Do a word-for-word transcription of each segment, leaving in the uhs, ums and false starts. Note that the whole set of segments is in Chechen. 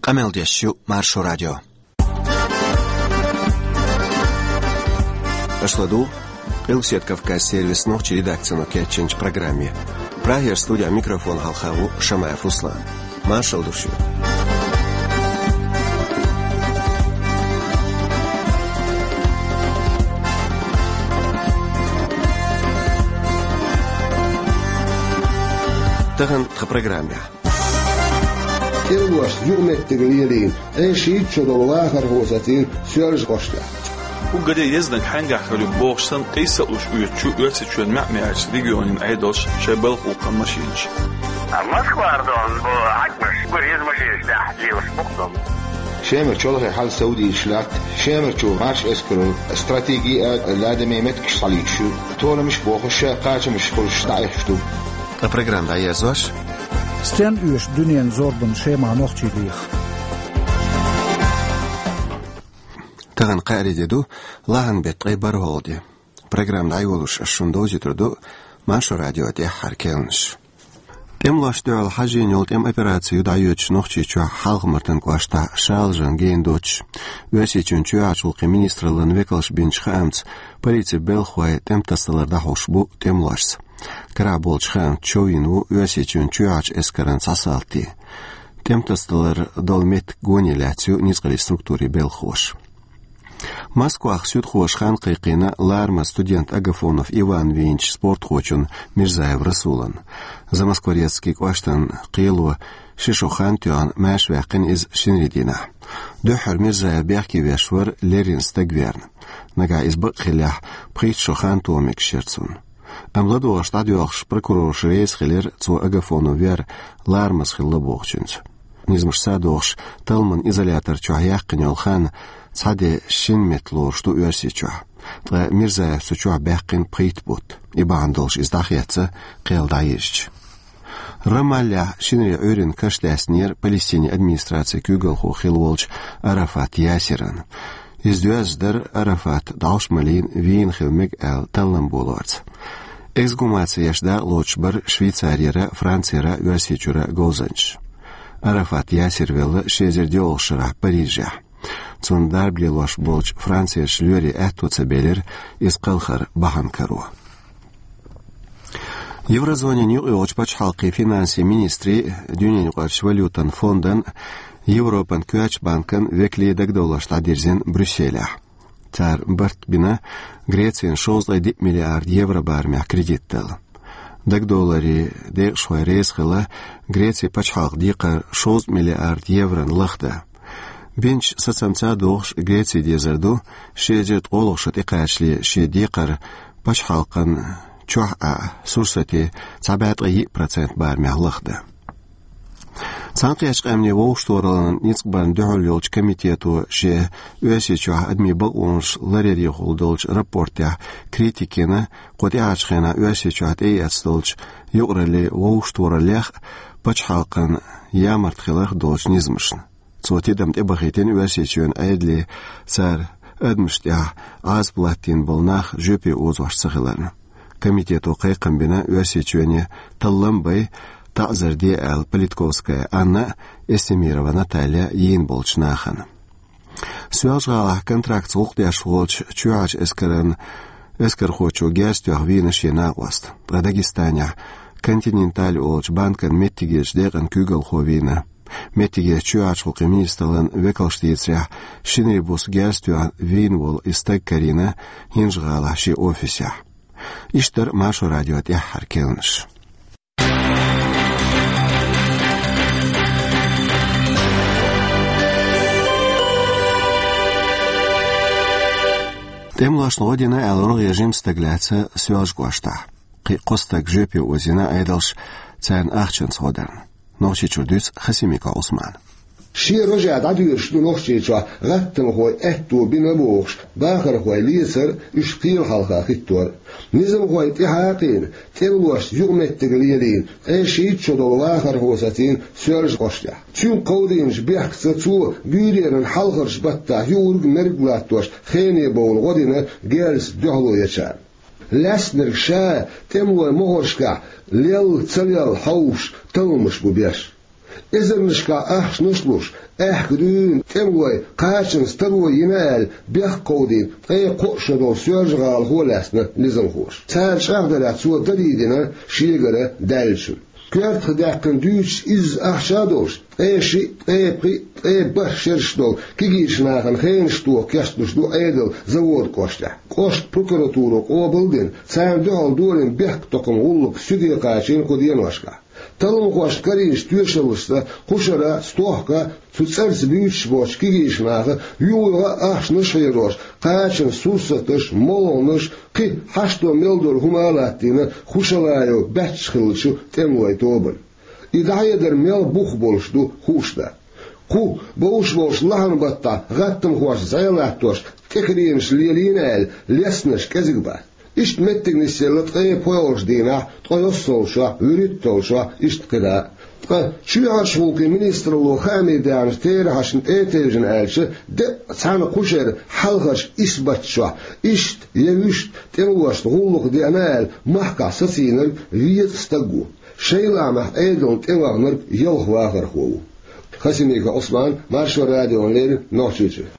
Къамел деш ю Маршо радио. Аша ладугӀу Къилбаседа Кавказан сервисан нохчийн редакцино кечйинчу программе. Прагера студин микрофон хьалха ву Шамаев Руслан. Маршалла ду шуьга. Тахана тхан программехь. ТӀемалошца юкъаметтиг лелийна, ткъе шийтта шо долу вахархо сацийна Соьлжа-ГӀоштехь. Уггаре а езаниг хьаьнгахь хир ю бохуш санна, къийса а луш оьцучу Оьрсийчоьнан маьӀ-маьӀчу регионийн Ӏедалша шайн балха гӀуллакхна машинаш. Москвара долу бу хьаькамаш, уггар еза машинаш тӀехь лелаш бу-кх долу. Шемара чолхе хьал совдийцаш латта, Шемарчу маршо эскаро стратеги а, ладаме меттигаш схьалуьйтуш ю, толамаш а бохуш, кхачамаш хуьлуш дӀаэцаш ду. Ткъа программа дӀаерзош: стенна оьшу дуьненан зорбанна Шемахь нохчий леха? Тахана кхаарин де ду, лахьан беттан ткъе бархӀалгӀа де. Программа дӀайолош ас шуна довзуьйтур ду Маршо радион тӀаьххьара керланаш. ТӀемалошна дуьхьал хьажийна йолу тӀеман операци ю дӀайоьдуш Нохчийчохь Хьалха-Мартан кӀоштахь шалажан гена доцуш. Оьрсийчоьнан чоьхьарчу гӀуллакхийн министраллан векалша бинчу хаамца, полицин белхахой тӀеман тасадалар дӀахьош бу тӀемалошца. Карахь болчу хаамца шовзийна ву Оьрсийчоьнан чоьхьарчу эскаран цхьа салти. ТӀеман тасадалар долу меттиг гоне лаьцна ю ницкъаллин структурийн белхахоша. Москвахь суьдхоша хан кхайкхийна ларамаза студент Агафонов Иван вийначу спортхочун Мирзаев Расулан. Замоскворецкий кӀоштан кхело ши шо хан тоьхна, маьрша ваьккхина иза шинарин дийнахь. Дуьххьара Мирзаев бехке веш вара леррина стаг верна. Нагахь иза бакъ хиллехь, пхийтта шо хан тоха мегаш яра цунна. Амма ладогӀарш дӀадоьлхуш, прокурорша реза хилира цо Агафонов вер ларамаза хилла бохучуьнца. Низамаш садоӀуш, талламан изолятор чохь яьккхина йолу хан цхьа де шина метта лоруш ду Оьрсийчохь. Ткъа Мирзаевс цу чохь баьккхина пхийтта бутт. И бахьана долуш иза дӀахецна, кхел дӀаезча. Рамаллехь шинарин Ӏуьйранна каш даьснера Палестинан администрацин куьйгалхо хилла волчу Арафат Ясиран. Иза доьзна дара Арафат дӀовш ма лийна, вийна хила мега аьлла таллам болорца. Эксгумаци еш дакъа лоцуш бара Швейцарера, Францера, Оьрсийчуьра говзанчаш. Арафат Ясир велла ши эзар доьалгӀачу шарахь Парижехь. Цунна дарба лелош болчу Францерчу лоьрийн аьтто ца белира иза кхалхар бахьана каро. Еврозонин юкъайолчу пачхьалкхийн финансийн министрийн, Дуьненаюкъарчу валютан фондан, Европан коьртачу банкан векалийн дагадовларш дӀадирзина Брюсселехь. Цара барт бина Грецина шовзткъе диъ миллиард евро барамехь кредит дала. Дагадовларийн декъашхой реза хилла Грецин пачхьалкхан декхар шовзткъа миллиард еврона лахдан. Бинчу сацамца а догӀуш, Греци дезар ду ши эзар ткъолгӀа шо тӀекхачале шен декхар пачхьалкхан чохь а, сурсатан цхьа бӀе ткъе йиъ процент барамехь лахдан. Цхьаьнакхеттачу къаьмнийн вовшахтохараллин ницкъ барна дуьхьал йолчу комитето шен Оьрсийчохь адамийн бакъонаш ларъярехула долчу рапортехь критика йина кху тӀаьхьарчу хенахь Оьрсийчохь тӀеэцна долчу юкъараллин вовшахтохараллех а, пачхьалкхан ямарта хиларх а долчу низамашна. Цо тидам тӀебахийтина Оьрсийчоьнан Ӏедалийн, цара адамашна тӀехь Ӏазап латтийна болу нах жоьпе озош ца хиларна. Комитето кхайкхам бина Оьрсийчоьне таллам бай, таӀзар де аьлла Политковская Анна а, Эстемирова Наталья а йийна болчу нахана. Соьлжа-ГӀалахь контрактца гӀуллакх деш волчу чоьхьарчу эскаран эскархочо герз тоьхна вийна шен накъост. Ткъа Дагестанехь Континенталь олучу банкан меттигерчу декъан куьйгалхо вийна. Меттигерчу чоьхьарчу гӀуллакхийн министраллин векалша дийцарехь, шинарин буса герз тоьхна вийна волу и стаг карийна ХӀинжа-ГӀалахь шен офисехь. Иштта дара Маршо радион тӀаьххьара керланаш. ТӀемалошна гӀо дина аьлла рогӀера жима стаг лаьцна Соьлжа-ГӀоштахь. Кхин а кхо стаг жоьпе озийна Ӏедалша царна ахчанца гӀо дарна. Нохчийчуьра дуьйцу Хасимиков Ӏусмана. Шен рожехь дӀадоьдуш ду Нохчийчохь гӀаттамхойн аьтто бина бохуш, бахархой лецар а, уьш кхела хьалха хӀиттор а. Низамхойн тӀаьхьа а кхиъна, тӀемалошца юкъаметтиг лелийна, ткъе шийтта шо долу вахархо сацийна Соьлжа-ГӀоштехь. Цуьнга кховдийначу бехкаца цо буьйренан хьалхарчу баттахь юург-мерг латтош, хене бовла гӀо дина герзаца дуьхьало ечарна. Лаьцнарг ша тӀемалойн могӀаршкахь лелла, ца лелла хьовсуш талламаш бу беш. Эзарнашкахь ахчанаш а луш, аьхка дуьйна тӀемалой кхачанца таро йина аьлла, бехк кховдийна ткъе кхо шо долу Соьлжа-ГӀалахо лаьцна низамхоша. Цара чӀагӀдарехь, цо дарий дина шегара даьллачун. Коьртах даьккхина дуьйцуш, изза ахча а долуш, ткъе шиъ, ткъе пхиъ, ткъе бархӀ шераш долу кегийчу нахана хенаш тоха кечдеш ду Ӏедал Завода кӀоштахь. КӀоштан прокуратуро къобал а дина, царна дуьхьал долийна бехктакхаман гӀуллакх суьде кхачийна кху деношкахь. Талламхошна карийначу тоьшаллашца кху шарахь, стохка, цу цӀарца буьйцуш боцчу кегийчу наха юха-юха а ахчанаш а хьерош, кхачанан сурсаташ, молханаш, кхин хьашто мел долу хӀума а латтийна Хушалаев баьчча хиллачу тӀемалойн тобанна. И дӀахьедар мел бух болуш ду хууш дац. Кху бовш болчу лахьанан баттахь гӀаттамхошца зӀе латтош тӀекхеренаш лелийна аьлла, лестинарш кӀезиг бац. Иштта меттиг нисъелла ткъе пхоьалгӀачу дийнахь, ткъе йоьссалгӀачохь, вуьрхӀитталгӀачохь, иштта кхидӀа а. Ткъа чоьхьарчу гӀуллакхийн министралло хаамийн даьхначу терахьашна тӀетевжина аьлча, деккъа цхьана кху шеран хьалхарчу исбаташкахь иштта я вуьшта тӀемалошна гӀуллакх деана аьлла, махкахь сацийнарг везткъа стаг ву. Шайн лаамехь Ӏедална тӀеваханарг ялх вахархо ву. Хасимиков Ӏусман, Маршо радиона леррина, Нохчийчуьра.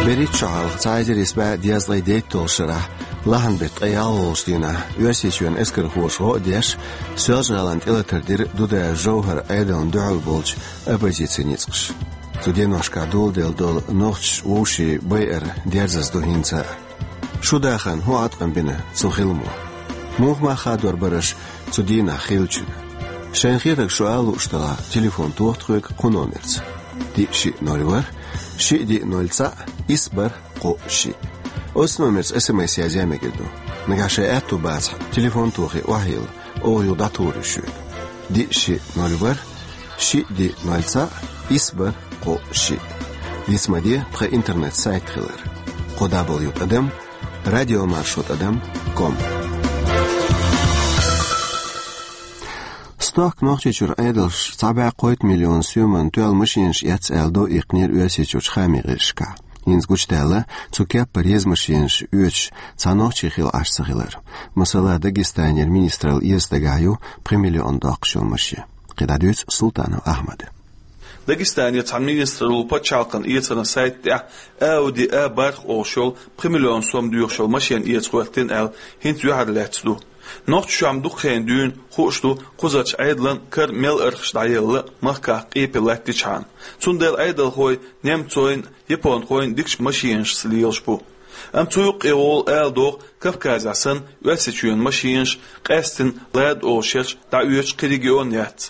БерхӀитта шо хьалха, цхьа эзар исс бӀе дезткъе дейтталгӀачу шарахь, лахьанан беттан ткъе ялхалгӀачу дийнахь, Оьрсийчоьнан эскархоша гӀо а деш, Соьлжа-ГӀалина тӀелатар дира Дудаев Жовхьаран Ӏедална дуьхьал болчу оппозицин ницкъаша. Цу деношкахь доладелла долу нохчаша вовшийн байар дерзаза ду хӀинца а. Шун дахарна хӀун Ӏаткъам бина цу хиламо? Муха мах хадор бара аша цу дийнахь хиллачунна? Шайн хетарг шу ала лууш делахь, телефон тоха тхоьга кху номерца: диъ шиъ ноль ворхӀ, шиъ диъ ноль цхьаъ, исс бархӀ кхоъ шиъ. Оцу номерца СМС язъян мегар ду. Нагахь шайн аьтто бацахь, телефон тохий охьайилла, оха юха дӀатухур ю шуьга. Диъ шиъ ноль ворхӀ, шиъ диъ ноль цхьаъ, исс бархӀ кхоъ шиъ. Диц ма де тхан интернет-сайт хилар: кхо дабл ю тӀадам радиомаршо тӀадам ком. Стохка Нохчийчуьра Ӏедалша цхьа бӀе кхойтта миллион соьман тоьлла машенаш эцна аьлла, дов иккхинера Оьрсийчуьрчу хаамийн гӀирсашкахь. ХӀинца гучудаьлла цу кеппара еза машенаш оьцуш цхьа нохчи хилла Ӏаш ца хилар. Масала, Дагестанера министралла эца дагахь ю пхи миллион доккхуш йолу машен. КхидӀа дуьйцу Султанов Ахьмада. Дагестанера цхьана министралло пачхьалкхан эцаран сайта тӀехь Ауди А бархӀ олуш йолу пхи миллион сом доьхуш йолу машен эца хӀоьттина аьлла, хӀинца юьхьарлаьцна ду. Нохчийчохь дукха хенахь дуьйна хууш ду кхузарчу Ӏедалан кара мел архаш дӀаелла махкахь къепе латтичхьана. Цундела Ӏедалхой немцойн, японхойн дикачу машенашца лелаш бу. Амма цу юккъе волу ала догӀу Кавказехь санна Оьрсийчоьнан машенаш, къаьсттина Лада олу шераш, дӀаоьцуш кхин регион яц.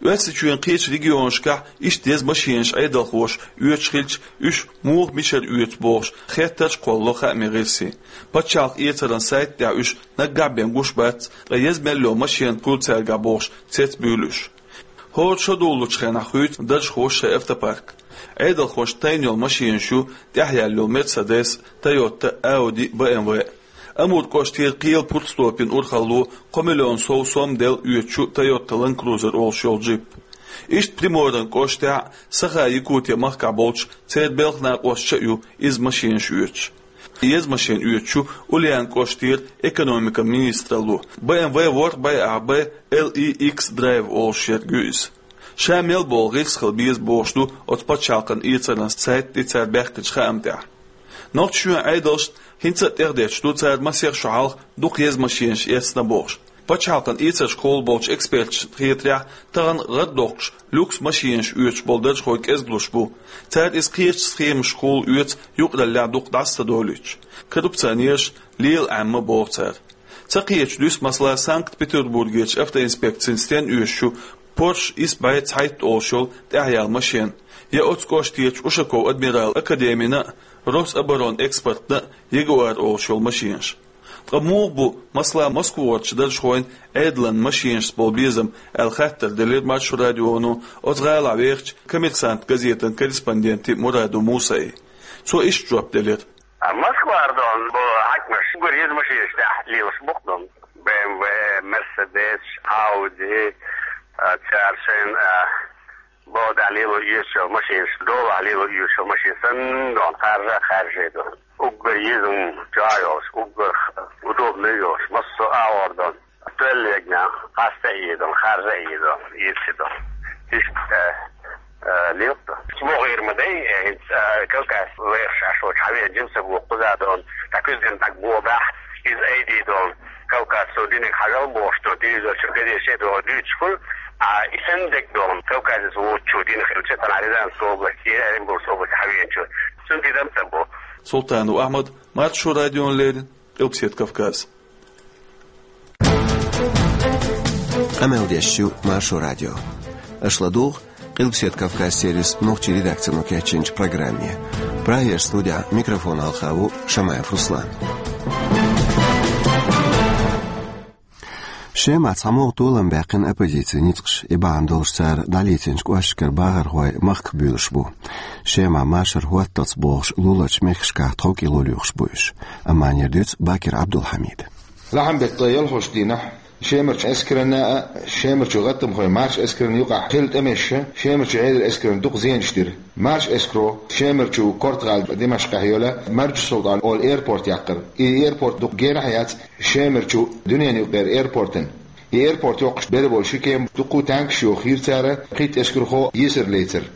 Оьрсийчоьнан кхечу регионашкахь иштта еза машенаш Ӏедалхоша оьцуш хилча, уьш муха, мичара оьцу бохуш, хеттарш а кхоллало хаамийн гӀирсийн. Пачхьалкхан эцаран сайта тӀехь уьш наггахь бен гуш бац, ткъа еза мел йолу машен хуьлу цаьргахь бохуш, цецбуьйлу уьш. ХӀора шо долучу хенахь хуьйцу даржхоша шайн автопарк. Ӏедалхошна тайна йолу машенаш ю тӀехъяьлла йолу Мерседес, Тойота, Ауди, БМВ. Амур кӀоштера кхелан Пурцтопин урхалло кхо миллион сов сом делла оьцуш ю Тойота Ланд Крузер олуш йолу джип. Иштта Приморан кӀоштахь а, Саха-Якутия махкахь болчу церан белхан накъосташа а ю иза машенаш оьцуш. Еза машен оьцуш ю Ульяна кӀоштера экономикан министралло. БМВ ворхӀ байахь бен, Л И Икс Драйв олуш ерг ю иза. Ша мел болу гӀирс хила беза бохуш ду оцу пачхьалкхан эцаран сайта тӀе цара баьхкинчу хаам тӀехь. Нохчийчоьнан Ӏедалшна хӀинца а тӀехдетташ ду цара масех шо хьалха дукха еза машенаш эцна бохуш. Пачхьалкхан эцаршкахула болчу эксперташна хетарехь, тахана гӀаддоккхуш, люкс машенаш оьцуш болу даржхой кӀезиглуш бу. Цара иза кхечу схемашкахула оьцу, юкъараллехь дукха дӀаса ца долуьйтуш. Коррупционераш лела Ӏемма боху цара. Ца кхеташ дуьсу, масала, Санкт-Петербургерчу автоинспекцина стенна оьшуш ю Порш исс бӀе цхьайтта олуш йолу тӀехъяьлла машен, я оцу кӀоштерчу Ушаков Адмирал академина а, Рособоронэкспортна а Ягуар олуш йолу машенаш. Ткъа муха бу, масала, Москварчу даржхойн Ӏедалан машенашца болу безам аьлла хаттар делира Маршо радионо оцу гӀалахь вехачу Коммерсант газетан корреспонденте Мурадов Мусае. Цо иштта жоп делира. А Москвара дон бо хьаькамаш уггар еза машенаш тӀехь лелаш бу-кх дон. БМВ, Мерседес, Ауди, а, цара шайна, а, бо дӀа лело оьшуш йолу машенаш, долахь лело оьшуш йолу машен санна дон, харжа а харжа дон. Уггар еза, чӀогӀа йолуш, уггар удобный йолуш, массо а агӀор дон. Тоьллегна, къаста а йийдал, харжа а йийдал, йийцидал. Иштта, э, лилта. СмогӀийр ма дай, э, хӀинца, э, Кавказ лайхаш Ӏаш волчу хьавеана жимсаг ву кхуза долу, тӀаккха куьзган тӀаккха боху баьхна, иза айдийдолу. Кавказ со диниг хьажал бохуш долу, телевизор чу газеташ а долу дуьйцуш хуьлу, а и санна дерг долу, Кавказаца воцучо дина хилча, тахана Рязанская область, Оренбургская область хьавеанчо. Цуьнан тидам ца бо. Султанов Ахьмад, Маршо радиона леррина, Къилбаседа Кавказ. Къамел деш ю Маршо радио. Аша ладугӀу Къилбаседа Кавказ сервисан нохчийн редакцино кечйинчу программе. Прагера студехь микрофон хьалха ву Шамаев Руслан. Шемахь цхьа могӀа толам баьккхина оппозицин ницкъаша. И бахьана долуш цара дӀалецначу кӀошташкара бахархой махках буьйлуш бу. Шемахь машар хӀотталц бохуш луларчу мехкашкахь тховкӀело лоьхуш бу уьш. Амма эр дуьйцу Бакир Абдулхьамида. Лахьанбеттан ялхолгӀачу дийнахь Шемарчу эскаранна а, Шемарчу гӀаттамхойн марша эскаран юкъахь хилла тӀемаша Шемарчу Ӏедалан эскарна дукха зенаш дира. Марша эскаро Шемарчу Корта-гӀала Димашкъехь йолу Маржу Султан олу аэропорт яккхира. И аэропорт дукха генахь яц Шемарчу дуьненан юкъара аэропортана. И аэропорт йоккхуш бер болу ши кема дуккха а танкаш йохийра цара, пхийтта эскархо йийсар лецира.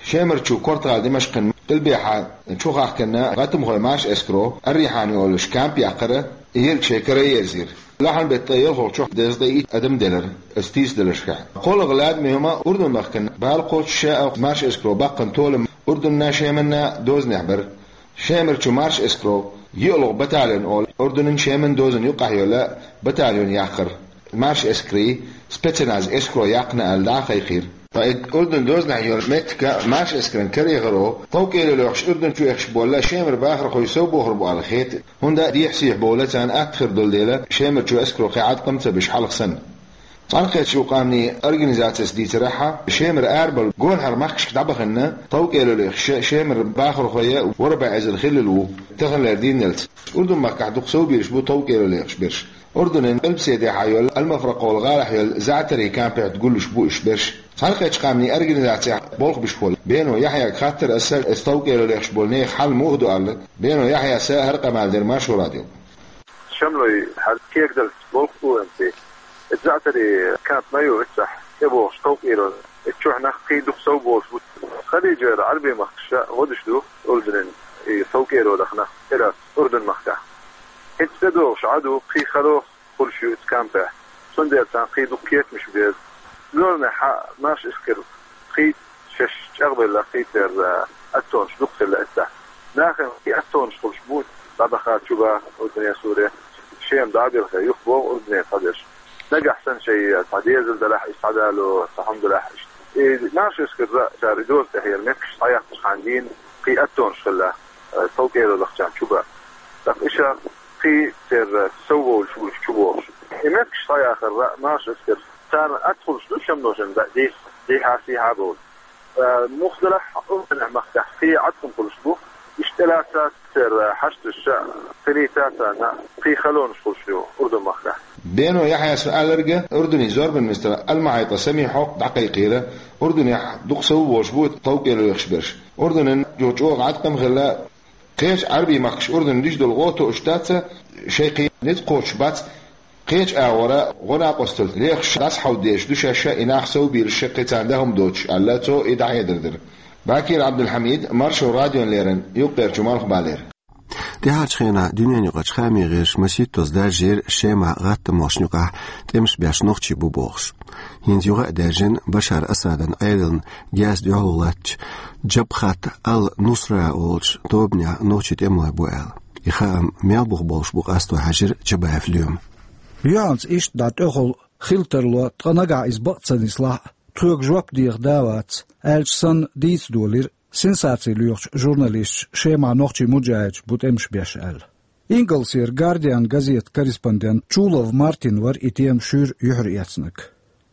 Шемарчу Корта-гӀала Димашкъана къилбехьа чу хахкина гӀаттамхойн марша эскаро Ар-Рихьан олуш камп яккхира, и йолчу шайн кара ерзийра. Лахьанбеттан ялхолгӀачохь дезткъе итт адам делира, аса тийсадаларшкахь. КхоалгӀа лаьттан хӀума Урдун-махкана бала кхочуш а, марша эскаро баккхина толам Урдунна, Шеманна дозанехь бара. Шемарчу марша эскаро йоьалгӀа батальон олу Урдунан, Шеман дозанан юкъахь йолу батальон яккхира. Марша эскарийн спецназ эскаро яккхина аьлла дӀа а кхайкхийра. Ткъа и Урдунан дозанехь йолу меттиг марша эскаран карайгӀаро тховкӀело лоьхуш Урдун чу эхаш болу Шемара бахархой сов бохур бу аьлла хета, хӀунда дехьа-сехьа бовла царна атта хир долу дела, Шемарчу эскаро кхин Ӏаткъам ца беш хьалха санна. Цхьаьнакхеттачу Къаьмнийн Организацис дийцарехь, Шемара арабевлла гонахара махкашка дӀабахана тховкӀело лоьхуш Шемара бахархой ворхӀ бӀе эзар хиллал ву таханлера дийнахьлц. Урдун-махкахь дукха совбийраш бу тховкӀело лоьхуш берш. Урдунан къилбаседехьа йолу Ал-Мафракъа олу гӀалахь йолу заӀтарийн кампехь гуллуш бу уьш берш. Цхьаьнакхеттачу Къаьмнийн Организацехь болх беш волу Бено Яхьъяга хаттар аса, тховкӀело лоьхуш болу нехан хьал муха ду аьлла. Бено Яхьъяс хӀара къамел дира Маршо радиога. Шамлой хьал кегадалц болх бу вайн цӀе. Иза заӀтарийн камп ма ю, иццахь тӀебогӀуш тховкӀело. Ицу чохь нах кхин дукха сов болуш бу. Халижера Ӏарбийн махкаша гӀо деш ду Урдунан и тховкӀелонах нах, тӀелаца Урдун-махкахь. ХӀинца тӀедогӀуш Ӏа ду, кхин хало хуьлуш ю ицу кампехь. Цундела царна кхин дукха кепамаш беза. Зорнехь марша эскар кхин шаьш чӀагӀбелла, кхин церан аттонаш дукха хилла эццахь. Нахана кхин аттонаш хуьлуш бу, дӀабаха чу баха Урдуне, Суре, Шема дӀа а белхе, юхабогӀу Урдуне цхьаберш. Нагахь санна шайн цхьа дезал далахь, иза схьадало, цхьа хӀума далахь, иштта. И марша эскаран цара и доза тӀехь яра меттигаш схьаяккхачхьана дийна кхин аттонаш хилла, э, тховкӀело лахчарна чу баха. ТӀаккха иштта кхин церан сов волуш ву уьш чу богӀуш. И меттигаш схьаяхарра марша эскар. Царна атта хуьлуш ду шамношна дӀа-, дехьа-сехьа а бовла. Э, муха делахь а, Урдунехь-махкахь кхин Ӏаткъам хуьлуш бу. Иштта тӀелаца церан хьашташа, кхин лийца царна, кхин халонаш хуьлуш ю Урдун-махкахь. Бено Яхьъяс аьлларг Урдунан зорбанан министр Ал-МахьайтӀа Самихьо дӀакхайкхийра, Урдунехь дукха сов болуш бу тховкӀело лоьхуш берш. Урдунан юха чӀогӀа Ӏаткъам хилла, кхечу Ӏарбийн махкаша Урдунна деш долу гӀо тоъуш дац, шайн кхин ницкъ кхочуш бац, кхечу агӀора гӀо-накъосталла лехаш дӀасахьовдийш ду шаьш и нах, совбийраш, кхин царна дан хӀума доцуш, аьлла, цо и дӀахьедар дира. Бакир Абдулхьамид, Маршо радиона леррина, Юккъерчу Малхбалера. ТӀаьхьарчу хенахь дуьненаюкъарчу хаамийн гӀирсаша масийттаза даржийра Шемахь гӀаттамхошна юкъахь тӀемаш беш нохчий бу бохуш. ХӀинца юха а даьржина Башар Асадан Ӏедална герз дуьхьало латтачу Джабхат ал-Нусра олучу тобанехь нохчийн тӀемалой бу аьлла. И хаам мел бух болуш бу къасто хьаьжира Чабаев Лоьма. Юьхьанца иштта дӀа тӀехула хила тарло, ткъа нагахь иза бакъ ца нислахь а, тхоьга жоп деха да а вац, аьлча санна дийца долийра сенсаци лоьхучу журналисташа Шемахь нохчийн муджахӀидаш бу тӀемаш беш аьлла. Ингалсера Гардиан газетан корреспондент Чулов Мартин вара и тема шуьйра юьхьарэцнарг.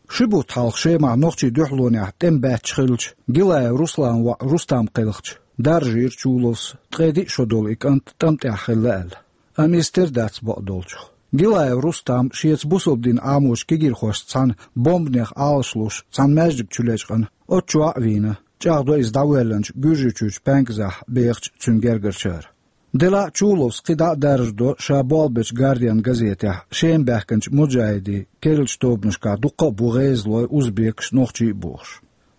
Ши бутт хьалха Шемахь нохчийн дуьхьалонехь тӀеман баьчча хиллачу Гилаев Русланан воӀ Рустам кхелхича, даржийра Чуловс ткъе диъ шо долу и кӀант тӀам тӀехь хилла аьлла. Амма иза тера дац бакъдолчух. Гилаев Рустам шеца бусалба дин Ӏамочу кегийрхошца цхьаьна бомбанех Ӏалаш луш цхьана маьждига чу лечкъина, оццу чохь а вийна, чӀагӀдо иза дӀавоьллинчу Гуьржийчуьрчу паьнказахь бехачу цуьнан гергарчара. Делахь а Чуловс кхидӀа а даржадо ша болх бечу «Гардиан» газетехь Шема баьхкинчу муджахӀидийн керлачу тобанашкахь дуккха а бу гӀезалой, узбекаш, нохчий а бохуш.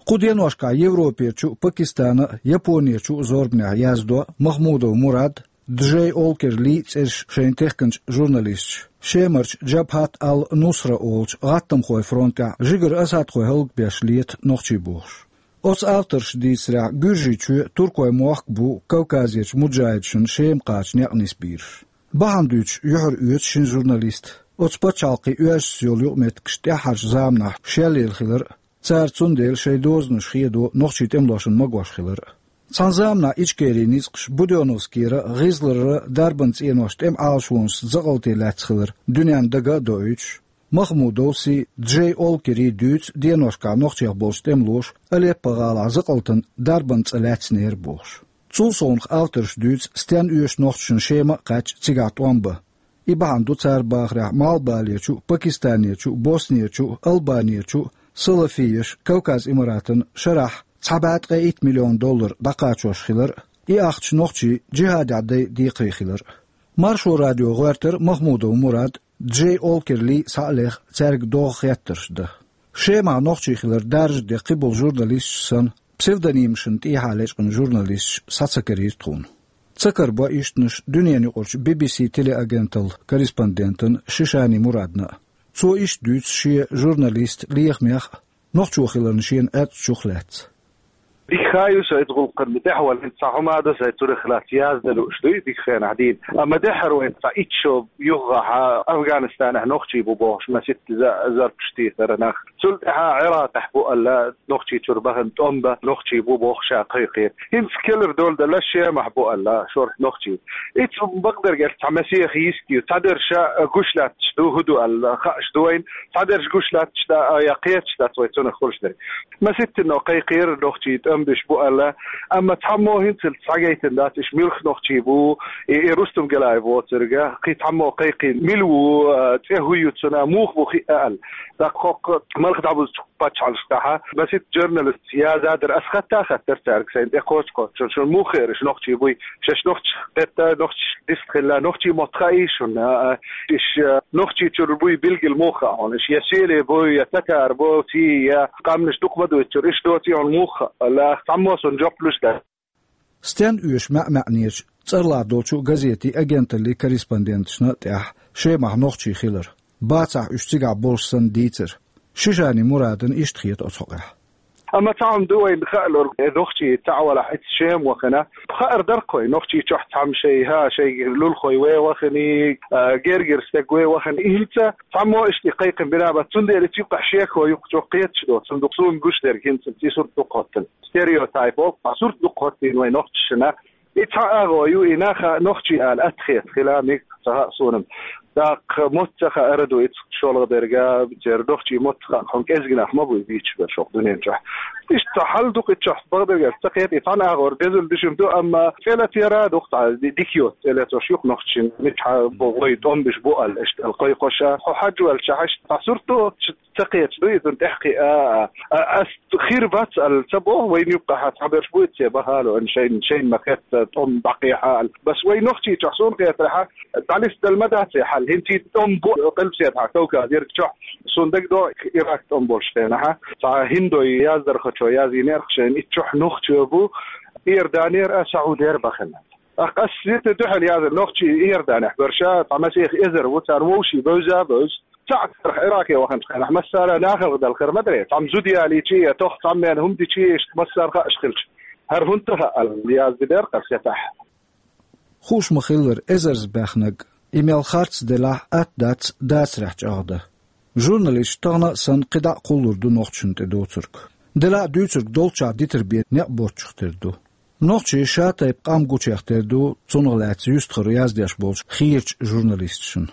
Кху деношкахь Европерчу а, Пакистана а, Японерчу а зорбанехь яздо Махмудов Мурад, Джей Олкер Ли цӀераш шайна техкинчу журналисташа Шемарчу Джабхат ал-Нусра олучу гӀаттамхойн фронтехь жигара асадхой хӀаллакбеш лета нохчий бохуш. Оцу авторша дийцарехь, Гуьржийчоь а, Туркойн мохк а бу Кавказерчу муджахӀидашна Шема кхача некъ нисбийраш. Бахьана дуьйцуш юьхьар оьцу шина журналиста оцу пачхьалкхийн оьшшаца йолу юкъаметтигаш тӀаьххьарчу заманахь шелъелла хилар а, цара цундела шайн дозанаш хедо нохчийн тӀемалошна магош хилар а. Цхьана заманахь Ичкерин ницкъаш Будённовскийра, ГӀизларра дарбан цӀеношна тӀеман Ӏалашонашца закъалте лаьцна хилар дуьненна дага а доуьйтуш, Махмудовс а, Джей Олкер а дуьйцу деношкахь нохчех болчу тӀемалоша Алеппо-гӀалахь закъалтана дарбан цӀа лаьцнера бохуш. Цул совнаха авторша дуьйцу стенна оьшу нохчашна Шема а кхаьчча цигахь тӀом бан. И бахьана ду цара бахарехь Малхбалерчу а, Пакистанерчу а, Боснерчу а, Албанерчу а салафиеш Кавказ-Имаратан шарахь цхьа бӀе ткъе итт миллион доллар дӀакхачош хилар а, и ахча нохчий джихӀадехь дай декхаре хилар а. Маршо радио гӀоьртира Махмудов Мурад а, Джей Олкер Ли а схьа а леха, цаьрга догӀу хеттарш дан. Шемахь нохчий хилар даржаде кхиболу журналисташ санна, псевдонимашна тӀехьа лечкъина журналисташ схьа ца карийра тхуна. Ца карабо ишттанаш дуьненаюкъарчу Би-Би-Си телеагенталла корреспондентана Шишани Мурадна а. Цо иштта дуьйцу шен журналистан лехамех а, нохчо хиларна шена Ӏаьттачух лаьцна. Дика хаа ю со иза гӀуллакхана тӀехь вала, хӀинца цхьа хӀума а ду сайн цунах лаьцна яздала лууш дуй дика хенахь дийна. Амма дуьххьара вайн цхьа итт шо юххехь Афганистанехь нохчий бу бохуш, масийтта за-, зарпаш тийсара нах. Цул тӀаьхьа Ӏиракъехь бу аьлла, нохчий чуьра бахана тӀом бан нохчий бу бохуш а кхайкхийра. ХӀинца кхелара дола делла Шемахь бу аьлла шорта нохчий. Иза бакъдерг аьлча цхьа масех йист ю. Цхьадерш гуш лаьтташ ду, хӀун ду аьлла, хууш ду вайна. Цхьадерш гуш лаьтташ дац, я кхеташ дац вай цунах хуьлуш дерг. Масийтта кхайкхийра нохчий тӀом беш бу аьлла, амма цхьаммо хӀинццалц схьагайтина дац, уьш муьлха нохчий бу, и, и Рустам Гелаев воцург, кхин цхьаммо кхайкхийна, мила ву, а, цӀе хӀун ю цуьнан, муха бу хиъна аьлла. ТӀаккха хӀокху малх дӀабузучу пачхьалкхашкахь масийтта журналисташа яздан дара, ас хатта а хаттара цаьрга сайн тӀекхочуш-кхочуш, шуна муха хиира уьш нохчий буй, шаьш нохчашка хетта, нохчашка дистхилла, нохчийн мотт хаьий шуна, а, а, уьш, а, нохчий чуьра буй билггал муха хаьа хьуна, уьш я сийлахь бу, я татар бу, цӀий, я къаьмнаш дукха ма дуьйцура, уьш доций хьуна муха хаьа, аьлла, цхьаммо суна жоп луш дац. Стенна оьшу маьӀ-маьӀнерчу, цӀарлахь долчу газетийн, агенталлин корреспонденташна а тӀехь Шемахь нохчий хилар, бацахь уьш цигахь болуш санна дийцар. Шишани Мурадна иштта хета оцу хьокъехь. Амма цхьа хӀума ду вайна хаалур, э, нохчий цхьаъ валахь, иштта Шема вахана, хаар дара-кх вайн нохчий чохь цхьамма шайн, хӀа, шайн лулахой вен вахана, а, гергара стаг вен вахана. И хӀинца цхьаммо иштта кхайкхина бина бац, цундела иза юккъехь шеко юккъе чӀогӀа кхеташ доцу, цундела суна гуш дерг хӀинца и сурт дукха хӀоттийна. Стереотип олу, сурт дукха хӀоттийна вайн нохчашна. И цхьа агӀо ю, и наха нохчий ала атта хета хила мега ца хаьа суна. ТӀаккха мотт ца хаьара ду иза шолгӀа дерг, церан нохчийн мотт хаьа, хьуна кӀезиг нах ма бу и бийцаш берш хӀокху дуьнен чохь. Иштта хьал ду-кх и чохь, бакъдерг аьлча, ца кхета, и цхьана агӀор безам дешам ду, амма цӀе латийра дукха цхьа ди-, дика йоцу цӀе латош ю-кх нохчашна, мичахь бу вай тӀом беш бу аьлла, иштта аьлла кхойкхуш а. Хьо хьажа ваьлча, иштта цхьа сурт ду, ца кхеташ ду иза тӀехь кхиа, а, а, ас хир бац аьлла ца боху, вайна юккъехь цхьаберш бу иза цӀе бахало, ан шайн, шайна ма-хетта тӀом дӀакхехьа аьлла. Бес вай нохчий чохь суна хетарехь, дӀалистадала ма дац и хьал. ХӀинца и тӀом бу Къилбаседахь, Кавказерчохь, суна дагадогӀу Ирак тӀом болуш хенахь, цхьа хӀиндой яздархочо яздинера-кх шайна, и чохь нохчо бу, Иорданера а, Саудера бахана. Ах, ас сита дуьхьал яза нохчий Иорданехь берш а, цхьа масех эзар ву, царна вовшийн бевза а бевза. Цхьаъ царах Ираке ваханчу хенахь массара а нахалха далхара ма дарий, цхьамма зуда ялийча а, я тох цхьамма хӀума дича а, иштта массара а хууш хилча, хӀара хӀунда ду хаьа аьлла, яздинера-кх ас сетахь. Хууш ма-хиллара, эзарза баьхнарг, и мел харц делахь а, атта дац дацарехь чӀагӀдан. Журналисташ тахана а санна кхидӀа а кхуллур ду нохчашна тӀе доцург. Делахь а дуьйцург долччохь дитар бен некъ боцчух тера ду. Нохчий ша-тайпа къам гучех тера ду, цунах лаьцна юьстахара яздеш болчу хийрачу журналисташна.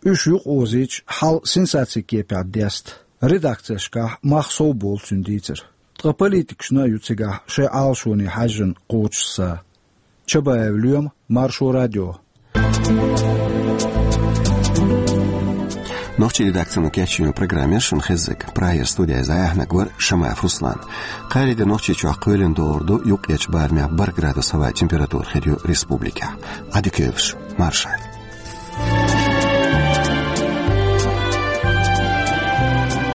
Уьш юкъаозийча, хьал сенсацин кепехь деста, редакцешкахь мах совболу цуьнан дийцар. Ткъа политикашна а ю цигахь шайн Ӏалашоне хьаьжжина кхочуш са. Чабаев Лоьма, Маршо радио. Нохчийн редакцино кечйина программа яр шуна хеззиг. Прагера студиз дӀаяьхьнарг вар Шамаев Руслан. Кхаьрийдола Нохчийчохь кхоьлина догӀур ду юккъерчу барамехь бархӀ градус хьаваьлла температура хир ю республикехь. Ӏадика йойла шун, марша Ӏойла.